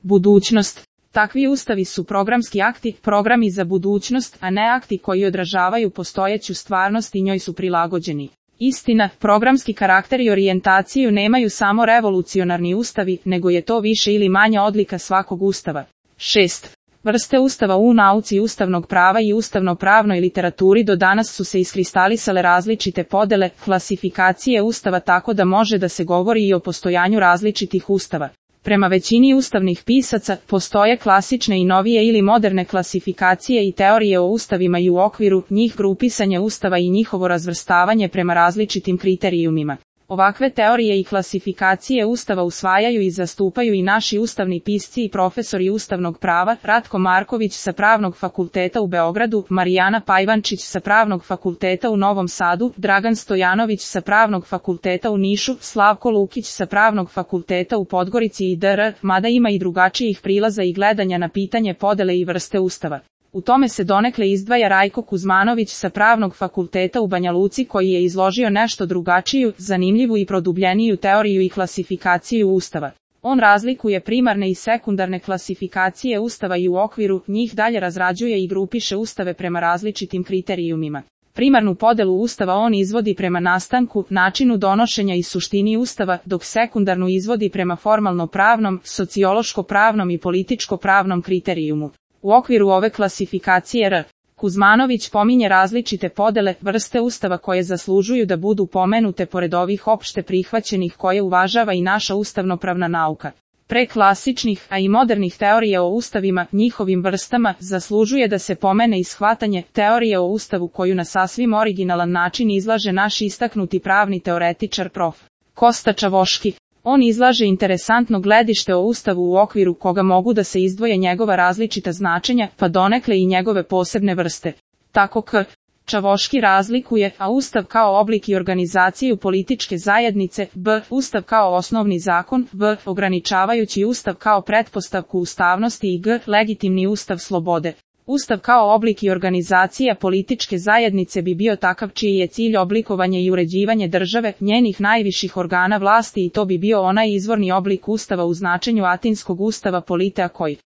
Budućnost. Takvi ustavi su programski akti, programi za budućnost, a ne akti koji odražavaju postojeću stvarnost i njoj su prilagođeni. Istina, programski karakter i orijentaciju nemaju samo revolucionarni ustavi, nego je to više ili manje odlika svakog ustava. 6. Vrste ustava. U nauci ustavnog prava i ustavno-pravnoj literaturi do danas su se iskristalisale različite podele, klasifikacije ustava, tako da može da se govori i o postojanju različitih ustava. Prema većini ustavnih pisaca, postoje klasične i novije ili moderne klasifikacije i teorije o ustavima i u okviru njih grupisanje ustava i njihovo razvrstavanje prema različitim kriterijumima. Ovakve teorije i klasifikacije ustava usvajaju i zastupaju i naši ustavni pisci i profesori ustavnog prava, Ratko Marković sa Pravnog fakulteta u Beogradu, Marijana Pajvančić sa Pravnog fakulteta u Novom Sadu, Dragan Stojanović sa Pravnog fakulteta u Nišu, Slavko Lukić sa Pravnog fakulteta u Podgorici i dr., mada ima i drugačijih prilaza i gledanja na pitanje podele i vrste ustava. U tome se donekle izdvaja Rajko Kuzmanović sa Pravnog fakulteta u Banja Luci, koji je izložio nešto drugačiju, zanimljivu i produbljeniju teoriju i klasifikaciju ustava. On razlikuje primarne i sekundarne klasifikacije ustava i u okviru njih dalje razrađuje i grupiše ustave prema različitim kriterijumima. Primarnu podelu ustava on izvodi prema nastanku, načinu donošenja i suštini ustava, dok sekundarnu izvodi prema formalno-pravnom, sociološko-pravnom i političko-pravnom kriterijumu. U okviru ove klasifikacije R. Kuzmanović pominje različite podele, vrste ustava koje zaslužuju da budu pomenute pored ovih opšte prihvaćenih koje uvažava i naša ustavnopravna nauka. Pre klasičnih, a i modernih teorija o ustavima, njihovim vrstama, zaslužuje da se pomene i shvatanje teorije o ustavu koju na sasvim originalan način izlaže naš istaknuti pravni teoretičar prof. Kosta Čavoški. On izlaže interesantno gledište o ustavu u okviru koga mogu da se izdvoje njegova različita značenja, pa donekle i njegove posebne vrste. Tako K. Čavoški razlikuje A. Ustav kao oblik i organizaciju političke zajednice, B. Ustav kao osnovni zakon, V. Ograničavajući ustav kao pretpostavku ustavnosti i G. Legitimni ustav slobode. Ustav kao oblik i organizacija političke zajednice bi bio takav čiji je cilj oblikovanje i uređivanje države, njenih najviših organa vlasti i to bi bio onaj izvorni oblik ustava u značenju Atinskog ustava Politea koji